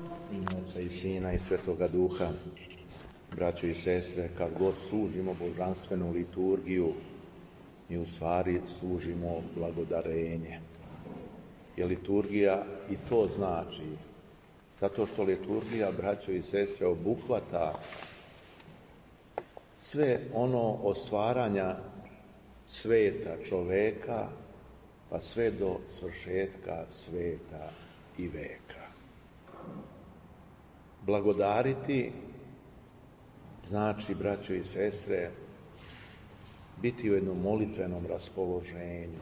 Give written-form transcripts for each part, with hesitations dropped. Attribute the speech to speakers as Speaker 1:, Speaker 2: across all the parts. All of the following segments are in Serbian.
Speaker 1: U ime Oca i Sina i Svetoga Duha, braćo i sestre, kad god služimo božanstvenu liturgiju, mi u stvari služimo blagodarenje. Jer liturgija i to znači, zato što liturgija, braćo i sestre, obuhvata sve ono od stvaranja sveta čoveka, pa sve do svršetka sveta i veka. Blagodariti znači, braćo i sestre, biti u jednom molitvenom raspoloženju.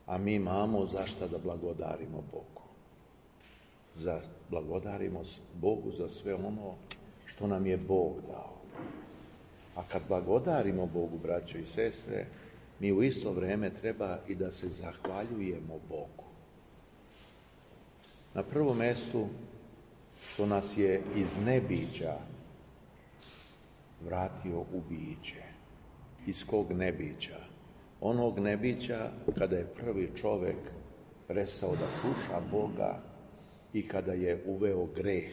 Speaker 1: A mi imamo zašto da blagodarimo Bogu. Blagodarimo Bogu za sve ono što nam je Bog dao. A kad blagodarimo Bogu, braćo i sestre, mi u isto vrijeme treba i da se zahvaljujemo Bogu. Na prvom mjestu što nas je iz nebića vratio u biće. Iz kog nebića? Onog nebića kada je prvi čovjek prestao da sluša Boga i kada je uveo greh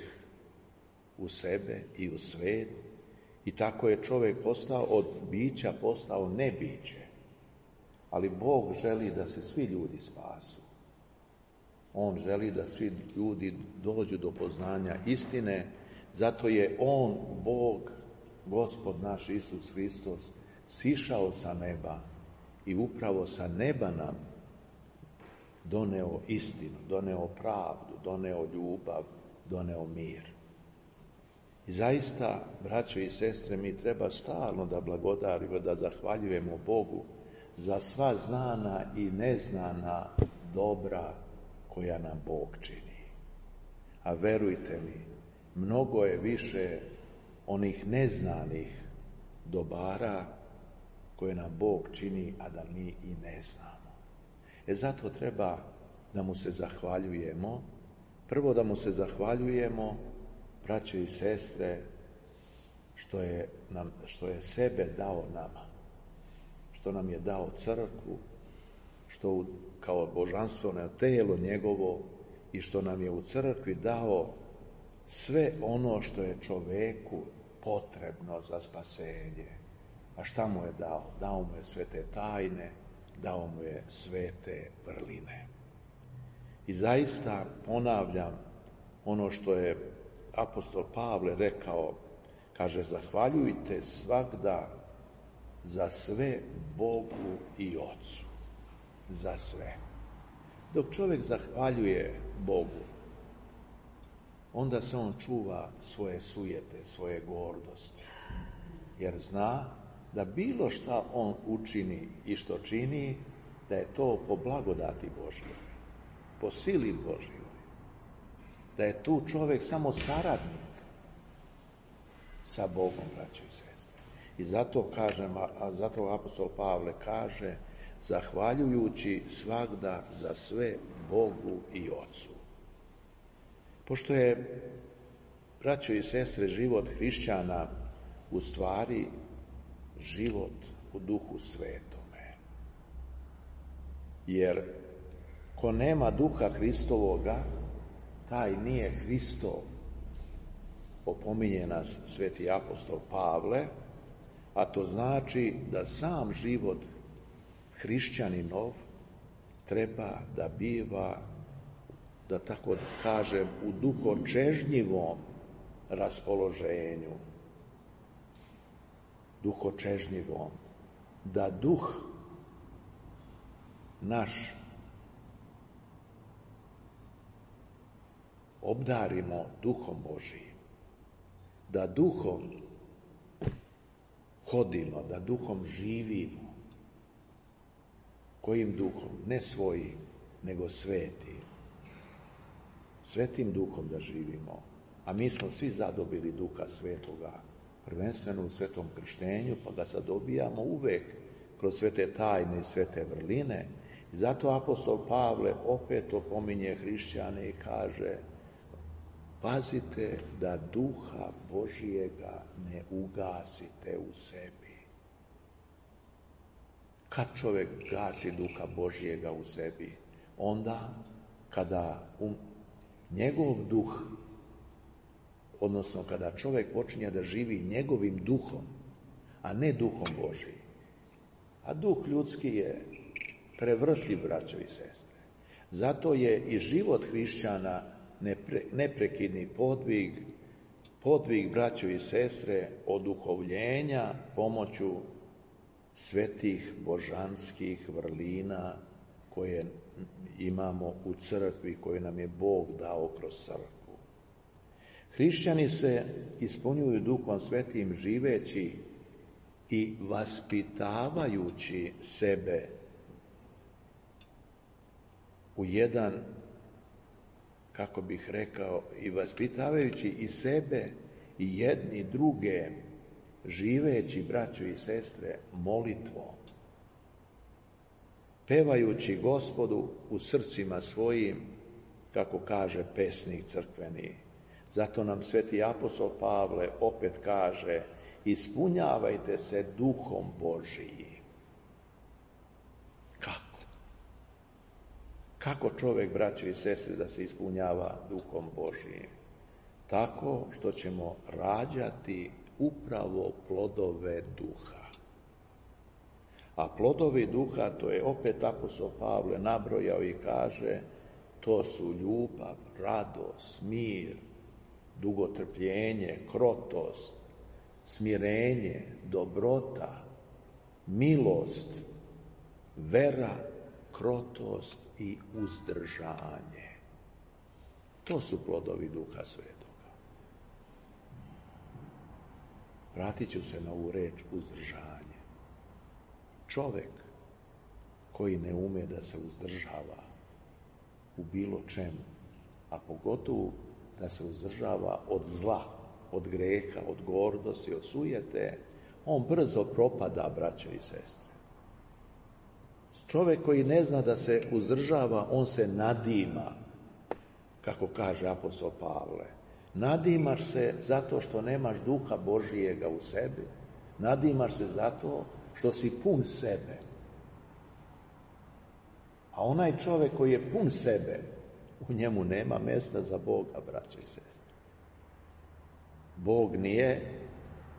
Speaker 1: u sebe i u svijet, i tako je čovjek od bića postao nebiće. Ali Bog želi da se svi ljudi spasu. On želi da svi ljudi dođu do poznanja istine, zato je On, Bog, Gospod naš Isus Hristos, sišao sa neba i upravo sa neba nam doneo istinu, doneo pravdu, doneo ljubav, doneo mir. I zaista, braćo i sestre, mi treba stalno da blagodarimo, da zahvaljujemo Bogu za sva znana i neznana dobra koja nam Bog čini. A verujte mi, mnogo je više onih neznanih dobara koje nam Bog čini, a da mi i ne znamo. Zato treba da mu se zahvaljujemo. Prvo da mu se zahvaljujemo, braćo i sestre, što je sebe dao nama, što nam je dao crkvu, što kao božanstveno tijelo njegovo, i što nam je u crkvi dao sve ono što je čoveku potrebno za spasenje. A šta mu je dao? Dao mu je svete tajne, dao mu je svete vrline. I zaista ponavljam ono što je apostol Pavle rekao, kaže, zahvaljujte svagda za sve Bogu i Ocu. Za sve. Dok čovjek zahvaljuje Bogu, onda se on čuva svoje sujete, svoje gordosti. Jer zna da bilo šta on učini i što čini, da je to po blagodati Božjoj, po sili Božjoj. Da je tu čovjek samo saradnik sa Bogom, braćo i sestre. I zato kažem, zato apostol Pavle kaže, zahvaljujući svagda za sve Bogu i Ocu. Pošto je, braćo i sestre, život hrišćana u stvari život u Duhu Svetome. Jer ko nema Duha Hristovoga, taj nije Hristov. Opominje nas sveti apostol Pavle, a to znači da sam život hrišćaninov treba da biva, da tako kažem, u duhočežnjivom raspoloženju. Duhočežnjivom. Da duh naš obdarimo Duhom Božijim. Da duhom hodimo, da duhom živimo. Kojim duhom? Ne svojim, nego svetim. Svetim duhom da živimo. A mi smo svi zadobili Duha Svetoga, prvenstveno u svetom krštenju, pa ga zadobijamo uvek kroz svete tajne i svete vrline. I zato apostol Pavle opet opominje hrišćane i kaže, pazite da Duha Božijega ne ugasite u sebi. Kad čovjek gasi Duha Božijega u sebi? Onda kada njegov duh, odnosno kada čovjek počinje da živi njegovim duhom, a ne duhom Božijim. A duh ljudski je prevrtljiv, braćo i sestre. Zato je i život hrišćana neprekidni podvig, braćo i sestre, oduhovljenja pomoću svetih božanskih vrlina koje imamo u crkvi, koje nam je Bog dao kroz crkvu. Hrišćani se ispunjuju Duhom Svetim živeći i vaspitavajući sebe u jedan, kako bih rekao, i vaspitavajući i sebe i jedni druge, živeći, braćo i sestre, molitvom, pevajući Gospodu u srcima svojim, kako kaže pesnik crkveni. Zato nam sveti apostol Pavle opet kaže: ispunjavajte se Duhom Božijim. Kako? Kako čovjek, braćo i sestre, da se ispunjava Duhom Božijim? Tako što ćemo rađati upravo plodove duha. A plodovi duha, to je opet apostol Pavle nabrojao i kaže, to su ljubav, radost, mir, dugotrpljenje, krotost, smirenje, dobrota, milost, vera, krotost i uzdržanje. To su plodovi Duha Svetoga. Vratit ću se na ovu reč uzdržanje. Čovjek koji ne ume da se uzdržava u bilo čemu, a pogotovo da se uzdržava od zla, od greha, od gordosti, od sujete, on brzo propada, braćo i sestre. Čovjek koji ne zna da se uzdržava, on se nadima, kako kaže apostol Pavle. Nadimaš se zato što nemaš Duha Božijega u sebi. Nadimaš se zato što si pun sebe. A onaj čovjek koji je pun sebe, u njemu nema mjesta za Boga, braćo i sestre. Bog nije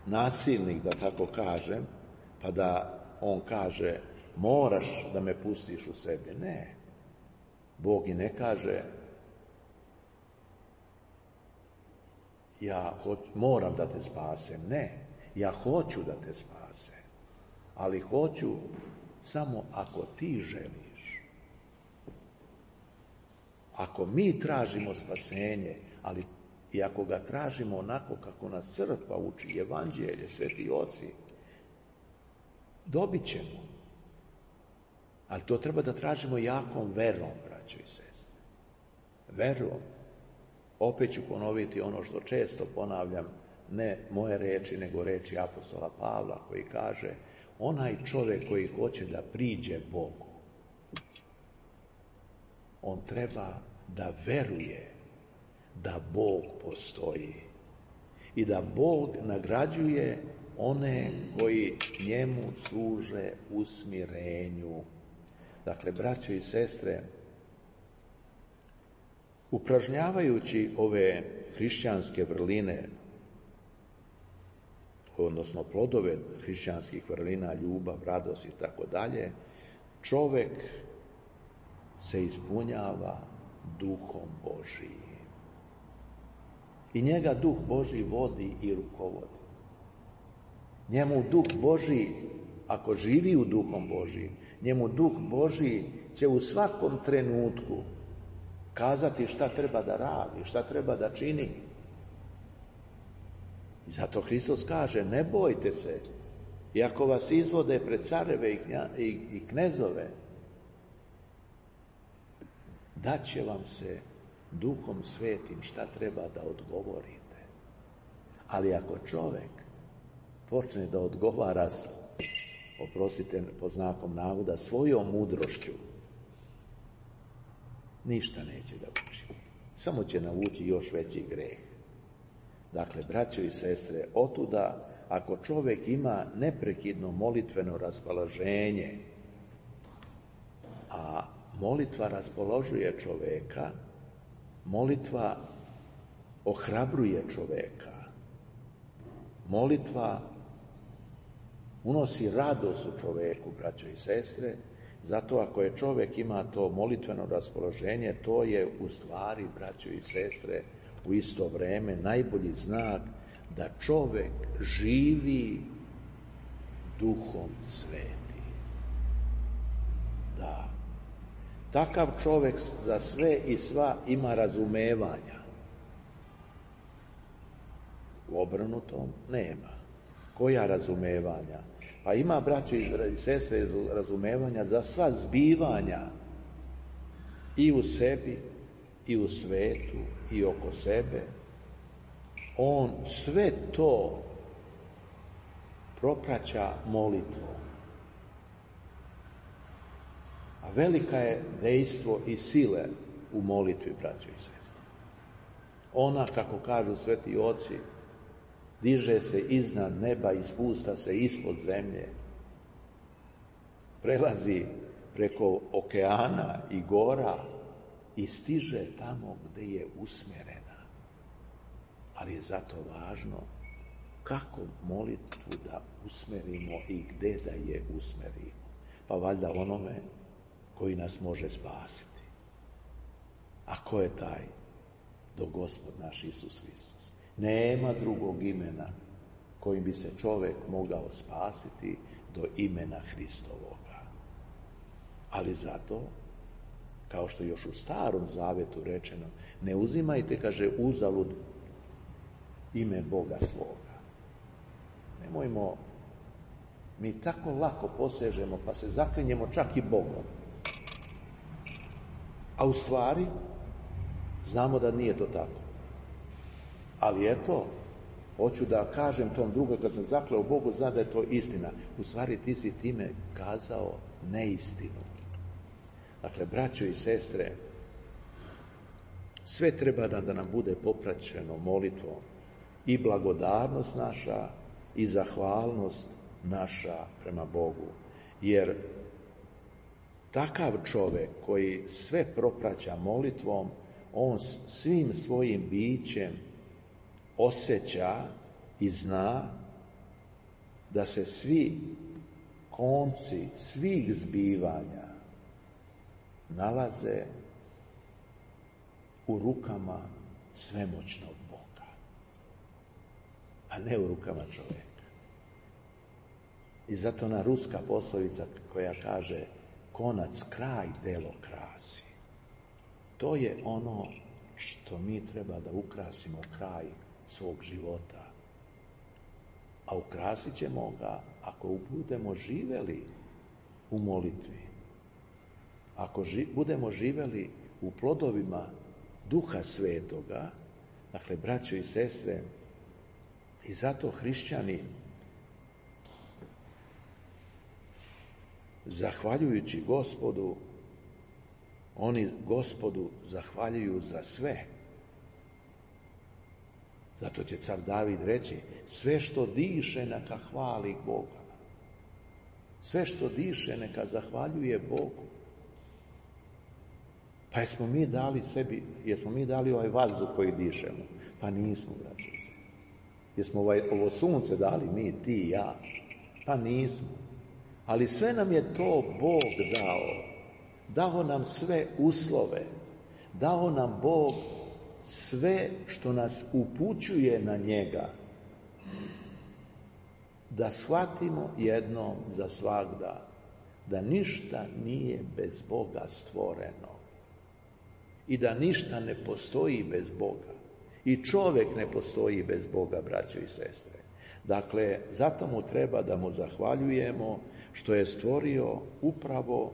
Speaker 1: nasilnik, da tako kažem, pa da on kaže moraš da me pustiš u sebi. Ne. Bog i ne kaže ja moram da te spasem. Ne. Ja hoću da te spasem. Ali hoću samo ako ti želiš. Ako mi tražimo spasenje, ali i ako ga tražimo onako kako nas crkva uči, evanđelje, sveti oci, dobit ćemo. Ali to treba da tražimo jakom verom, braćo i sestre. Verom. Opet ću ponoviti ono što često ponavljam, ne moje reči, nego reči apostola Pavla, koji kaže, onaj čovjek koji hoće da priđe Bogu, on treba da veruje da Bog postoji i da Bog nagrađuje one koji njemu služe u smirenju. Dakle, braćo i sestre, upražnjavajući ove hrišćanske vrline, odnosno plodove hrišćanskih vrlina, ljubav, radost i tako dalje, čovjek se ispunjava Duhom Božijim. I njega Duh Božji vodi i rukovodi. Njemu Duh Božji, ako živi u Duhom Božjim, njemu Duh Božji će u svakom trenutku kazati šta treba da radi, šta treba da čini. I zato Hristos kaže, ne bojte se, iako vas izvode pred careve i knezove, daće vam se Duhom Svetim šta treba da odgovorite. Ali ako čovjek počne da odgovara, oprostite pod znakom navoda, svojom mudrošću, ništa neće da uči. Samo će navući još veći greh. Dakle, braćo i sestre, otuda, ako čovjek ima neprekidno molitveno raspoloženje, a molitva raspoložuje čovjeka, Molitva ohrabruje čoveka. Molitva unosi radost u čoveku, braćo i sestre. Zato ako je čovjek ima to molitveno raspoloženje, to je u stvari, braćo i sestre, u isto vrijeme najbolji znak da čovjek živi Duhom Svetim. Da. Takav čovjek za sve i sva ima razumevanja. U obrnutom nema. Koja razumevanja? Pa ima, braći i sestre, razumevanja za sva zbivanja i u sebi, i u svetu, i oko sebe. On sve to propraća molitvom. A velika je dejstvo i sile u molitvi, braći i sestre. Ona, kako kažu sveti oci, diže se iznad neba i spusta se ispod zemlje. Prelazi preko okeana i gora i stiže tamo gdje je usmjerena. Ali je zato važno kako molitvu da usmerimo i gdje da je usmerimo. Pa valjda onome koji nas može spasiti. A ko je taj? Do Gospod naš Isus Hristos. Nema drugog imena kojim bi se čovjek mogao spasiti do imena Hristovoga. Ali zato, kao što je još u Starom Zavetu rečeno, ne uzimajte, kaže, uzalud ime Boga svoga. Nemojmo, mi tako lako posežemo pa se zaklinjemo čak i Bogom. A u stvari, znamo da nije to tako. Ali eto, hoću da kažem tom drugom, kad sam zakleo Bogu, zna da je to istina. U stvari ti si time kazao neistinu. Dakle, braćo i sestre, sve treba da nam bude popraćeno molitvom. I blagodarnost naša, i zahvalnost naša prema Bogu. Jer takav čovjek koji sve propraća molitvom, on svim svojim bićem osjeća i zna da se svi konci svih zbivanja nalaze u rukama svemoćnog Boga, a ne u rukama čovjeka. I zato ona ruska poslovica koja kaže konac kraj delo krasi. To je ono što mi treba da ukrasimo kraj svog života. A ukrasit ćemo ga ako budemo živjeli u molitvi. Ako budemo živjeli u plodovima Duha Svetoga, dakle, braćo i sestre, i zato hrišćani, zahvaljujući Gospodu, oni Gospodu zahvaljuju za sve. Zato će car David reći, sve što diše neka hvali Boga. Sve što diše neka zahvaljuje Bogu. Pa jesmo mi dali sebi, jesmo mi dali ovaj vazduh koji dišemo? Pa nismo, braći. Jesmo ovo sunce dali mi, ti i ja? Pa nismo. Ali sve nam je to Bog dao. Dao nam sve uslove. Dao nam Bog sve što nas upućuje na njega. Da shvatimo jednom za svagda da ništa nije bez Boga stvoreno. I da ništa ne postoji bez Boga. I čovjek ne postoji bez Boga, braćo i sestre. Dakle, zato mu treba da mu zahvaljujemo što je stvorio upravo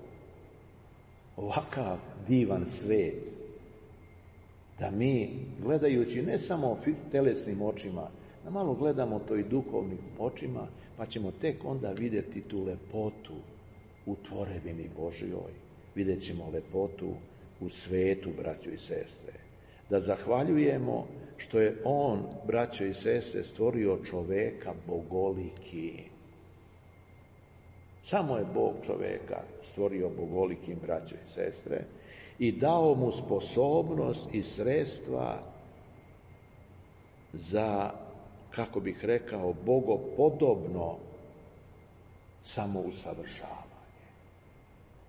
Speaker 1: ovakav divan svijet. Da mi, gledajući ne samo telesnim očima, da malo gledamo to i duhovnim očima, pa ćemo tek onda vidjeti tu lepotu u tvorevini Božjoj. Vidjet ćemo lepotu u svetu, braćo i sestre. Da zahvaljujemo što je on, braćo i sestre, stvorio čoveka bogoliki. Samo je Bog čoveka stvorio bogolikim, braćo i sestre. i dao mu sposobnost i sredstva za, kako bih rekao, bogopodobno samousavršavanje.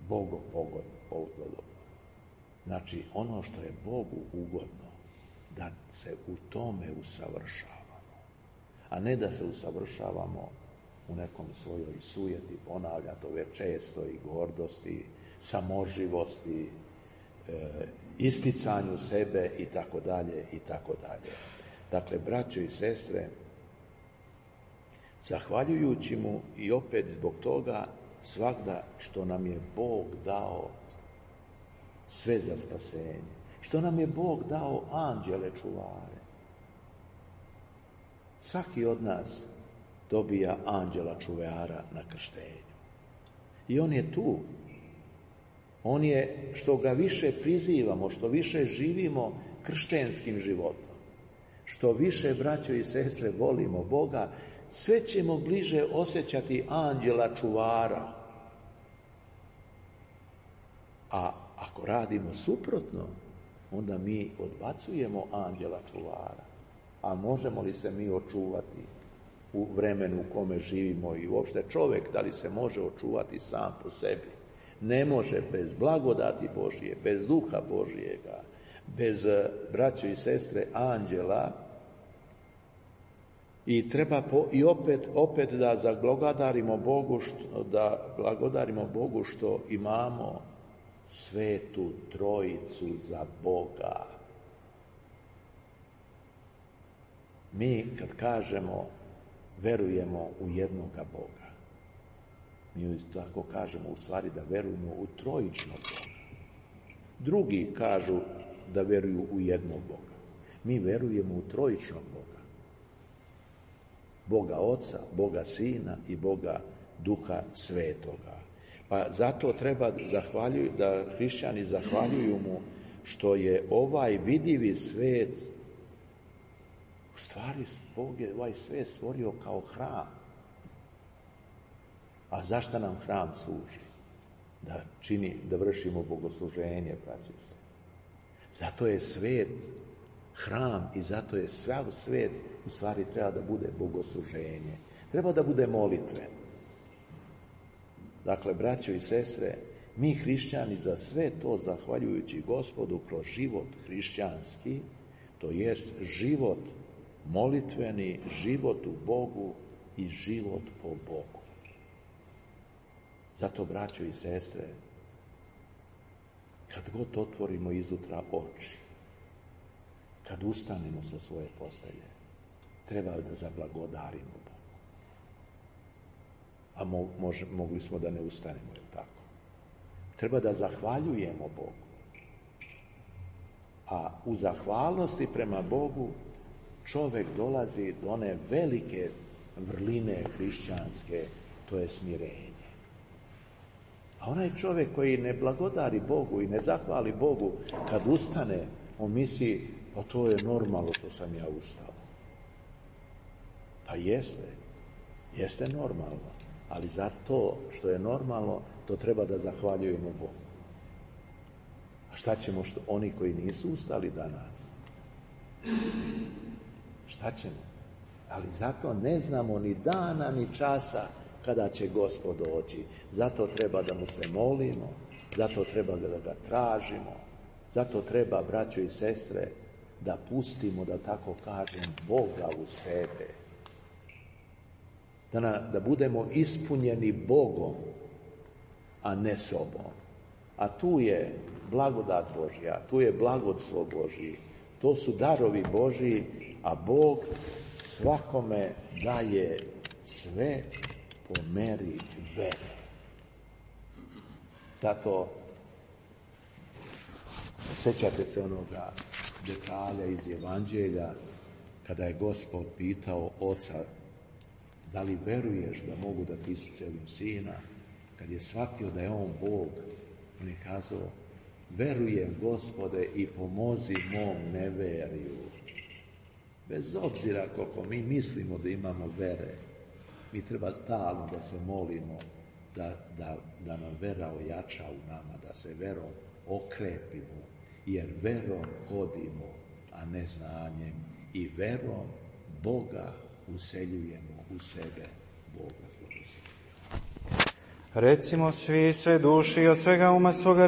Speaker 1: Bogopodobno. Znači, ono što je Bogu ugodno, da se u tome usavršavamo, a ne da se usavršavamo u nekom svojoj sujeti, ponavljam to već često, i gordosti, samoživosti, isticanju sebe i tako dalje i tako dalje. Dakle, braćo i sestre, zahvaljujući mu i opet zbog toga svagda što nam je Bog dao sve za spasenje, što nam je Bog dao anđele čuvare. Svaki od nas dobija anđela čuvara na krštenju. I on je tu. On je, što ga više prizivamo, što više živimo kršćanskim životom, što više, braćo i sestre, volimo Boga, sve ćemo bliže osjećati anđela čuvara. A ako radimo suprotno, onda mi odbacujemo anđela čuvara. A možemo li se mi očuvati u vremenu u kome živimo i uopšte čovjek, da li se može očuvati sam po sebi? Ne može bez blagodati Božije, bez duha Božijega, bez, braćo i sestre, anđela. I treba i opet da blagodarimo Bogu što imamo svetu trojicu za Boga. Mi kad kažemo verujemo u jednoga Boga, mi tako kažemo u stvari da verujemo u trojičnog Boga. Drugi kažu da veruju u jednog Boga. Mi verujemo u trojičnog Boga. Boga Oca, Boga Sina i Boga Duha Svetoga. Pa zato treba da hrišćani zahvaljuju mu što je ovaj vidivi svet, u stvari Bog je ovaj svet stvorio kao hram. A zašto nam hram služi? Da vršimo bogosluženje, braće se. Zato je svet hram i zato je sav svet u stvari treba da bude bogosluženje. Treba da bude molitve. Dakle, braćo i sestre, mi hrišćani za sve to zahvaljujući Gospodu kroz život hrišćanski, to jest život molitveni, život u Bogu i život po Bogu. Zato, braćo i sestre, kad god otvorimo izutra oči, kad ustanemo sa svoje postelje, treba da zablagodarimo Bogu. A mogli smo da ne ustanemo, je tako? Treba da zahvaljujemo Bogu. A u zahvalnosti prema Bogu čovjek dolazi do one velike vrline hrišćanske, to je smirenje. A onaj čovjek koji ne blagodari Bogu i ne zahvali Bogu, kad ustane, on misli, pa to je normalno što sam ja ustao. Pa jeste normalno, ali za to što je normalno, to treba da zahvaljujemo Bogu. A šta ćemo oni koji nisu ustali danas? Šta ćemo? Ali zato ne znamo ni dana, ni časa kada će Gospod doći. Zato treba da mu se molimo, zato treba da ga tražimo, zato treba, braćo i sestre, da pustimo, da tako kažem, Boga u sebe. Da budemo ispunjeni Bogom, a ne sobom. A tu je blagodat Božja, tu je blagoslov Božji, to su darovi Božji, a Bog svakome daje sve po meri vere. Zato sjećate se onoga detalja iz Evanđelja kada je Gospod pitao oca da li veruješ da mogu da ti iscelim sina. Kad je shvatio da je on Bog, on je kazao, verujem Gospode i pomozi mom neveriju. Bez obzira koliko mi mislimo da imamo vere, mi treba stalno da se molimo da nam vera ojača u nama, da se verom okrepimo, jer verom hodimo, a ne znanjem, i verom Boga useljujemo u sebe. Boga.
Speaker 2: Recimo svi sve duši i od svega uma svoga